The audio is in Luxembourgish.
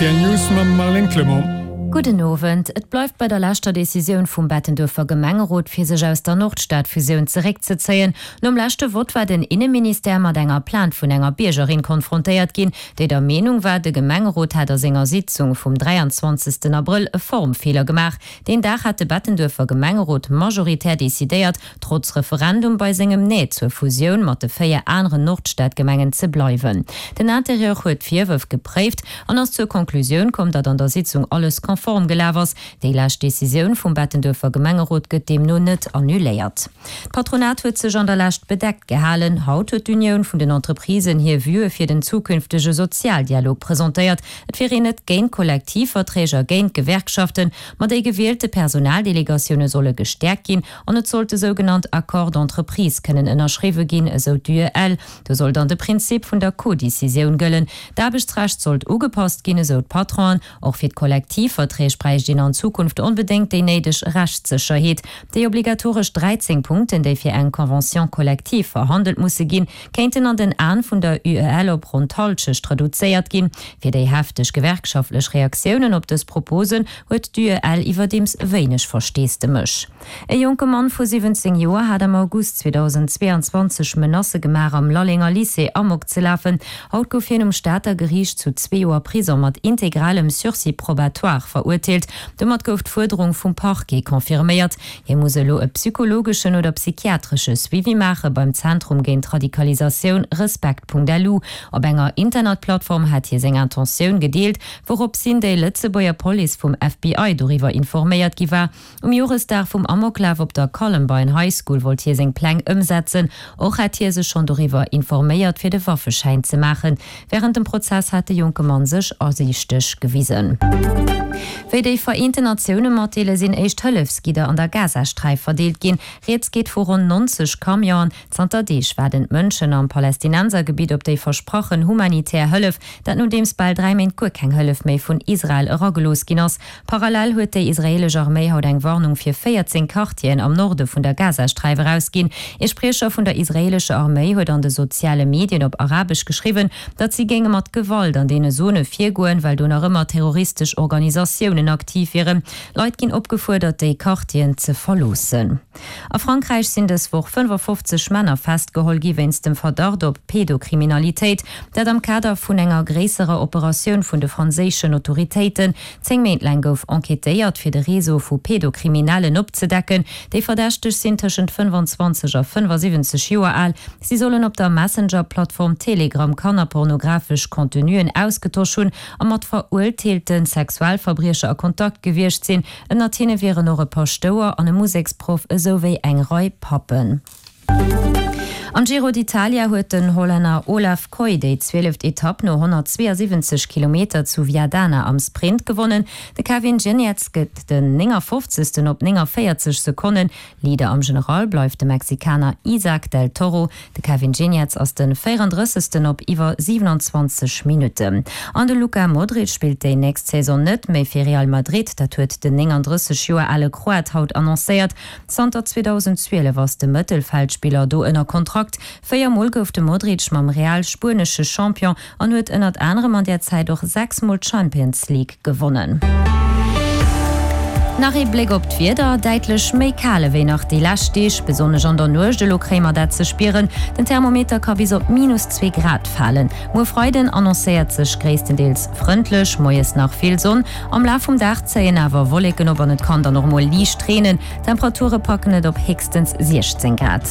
Rtl News mam Marlène Clement. Gudden Owend. Et bleift bei der leschter Decisioun vum Bettenduerfer Gemengerot, fir sech aus der Nordstad-Fusioun zeréckzezéien. Nom leschte Vott war den Inneministère mat enger Plainte vun enger Biergerin konfrontéiert ginn, déi der Meenung war, de Gemengerot hätt a senger Sitzung vum 23 Abrëll e Formfeeler gemaach. Deen Dag hat de Bettenduerfer Gemengerot majoritär decidéiert, trotz Referendum bei sengem Nee zur Fusioun mat de 4 aneren Nordstadgemengen ze bleiwen. Den Interieur huet d'Virwërf gepréift an ass zur Conclusioun komm, datt an der Sitzung alles konform gelaf ass. Déi lescht Decisioun vum Bettenduerfer Gemengerot gëtt deemno net annuléiert. D'Patronat huet sech an der Lescht bedeckt gehalen. Haut huet d'Unioun vun den Entreprisen hir Vuë fir den zukünftege Sozialdialog presentéiert. Et wier een net géint Kollektivverträg a géint Gewerkschaften, ma déi gewielte Personaldelegatioune solle gestäerkt ginn an et sollte sougenannt Accords d'entreprise kënnen ënnerschriwwe ginn, esou d'UEL. Do soll dann de Prinzip vun der Codecisioun gëllen. D'Aarbechtsrecht sollt ugepasst ginn, esou d'Patronen. Och fir d'Kollektivverträg bräicht een an Zukunft onbedéngt déi néideg Rechtssécherheet. Déi obligatoresch 13 Punkten, déi fir eng Convention collective verhandelt musse ginn, kéinten an den Aen vun der UEL op ronn d'Hallschecht reduzéiert ginn. Fir déi hefteg gewerkschaftlech Reaktiounen op dës Proposen huet d'UEL iwwerdeems wéineg Versteesdemech. E jonke Mann vu 17 Joer hat am August 2022 Menacë gemaach am Lallenger Lycée Amok ze lafen. Haut gouf hien um Stater Geriicht zu zwee Joer Prisong mat integralem Sursis probatoire verurteelt. Domat gouf d'Fuerderung vum Parquet confirméiert. Hie muss elo e psychologeschen oder psychiatresche Suivi maache beim Zentrum géint Radikalisatioun Respekt.lu. Op enger Internetplattform hat hie seng Intentioun gedeelt, wouropshin déi Lëtzebuerger Police vum FBI doriwwer informéiert gi war. Um Joresdag vum Amoklaf op der Columbine High School wollt hie seng Pläng ëmsetzen. Och hätt hie sech schonn doriwwer informéiert, fir de Waffeschäin ze maachen. Wärend dem Prozess hat de jonke Mann sech asiichteg gewisen. Wéi déi Vereenten Natioune matdeelen, sinn éischt Hëllefsgidder an der Gazasträif verdeelt ginn. Rieds geet vu ronn 90 Camionen. Zanter Deeg waarden d'Mënschen am Palästinensergebitt op déi versprachen humanitär Hëllef. Dat nodeems bal 3 Méint guer keng Hëllef méi vun Israel eragelooss ginn ass. Parallel huet déi israeelesch Arméi haut eng Warnung fir 14 Quartieren am Norde vun der Gazasträif erausginn. Ee Spriecher vun der israeelescher Arméi huet an de soziale Medien op Arabesch geschriwwen, datt si géinge mat Gewalt an deene Zone virgoen, well do nach ëmmer terroristesch Organisatiounen aktiv wieren. Leit ginn opgefuerdert, déi Quartieren ze verloossen. A Frankräich sinn dës Woch 55 Männer festgeholl gi wéinst dem Verdacht op Pedokriminalitéit. Dat am Kader vun enger gréisserer Operatioun vun de franséischen Autoritéiten. 10 Méint laang gouf enquêtéiert, fir de Réseau vu Pedokriminellen opzedecken. Déi Verdächteg sinn tëschent 25 a 75 Joer al. Si sollen op der Messenger-Plattform Telegram kannerpornografesch Contenuen ausgetosch hunn a mat verurteelte Sexualverbriecher a Kontakt gewiescht sinn. Ënnert hinne wieren och e Paschtouer an e Museksproff esou wéi eng Rei Pappen. Am Giro d'Italia huet den Hollänner Olav Kooij déi zwieleft Etapp no 172 Kilometer zu Viadana am Sprint gewonnen. De Kevin Geniets gëtt den 59. op 49 Sekonnen. Leader am General bleift de Mexikaner Isaac del Toro. De Kevin Geniets ass de 34. op iwwer 27 Minutten. An de Luka Modric spillt déi nächst Saison net méi fir Real Madrid. Dat huet den 39 Joer ale Kroat haut annoncéiert. Zanter 2012 ass de Mëttelfeldspiller do ënner Kontrakt. 4 Mol gouf de Modric mam Real spuenesche Champion an huet ënnert anerem an där Zäit och 6 Mol d'Champions League gewonnen. Nach ee Bléck op d'Wieder, Däitlech méi kal ewéi nach déi lescht Deeg, besonnesch an der Nuecht. Elo kréie mer dat ze spieren, den Thermometer ka bis op minus 2 Grad falen. Muer Freiden annoncéiert sech gréisstendeels frëndlech, moies nach vill Sonn. Am Laf vum Dag zéien awer Wolleken op an et kann dann och mol liicht reenen. D'Temperature packen et op héchstens 16 Grad.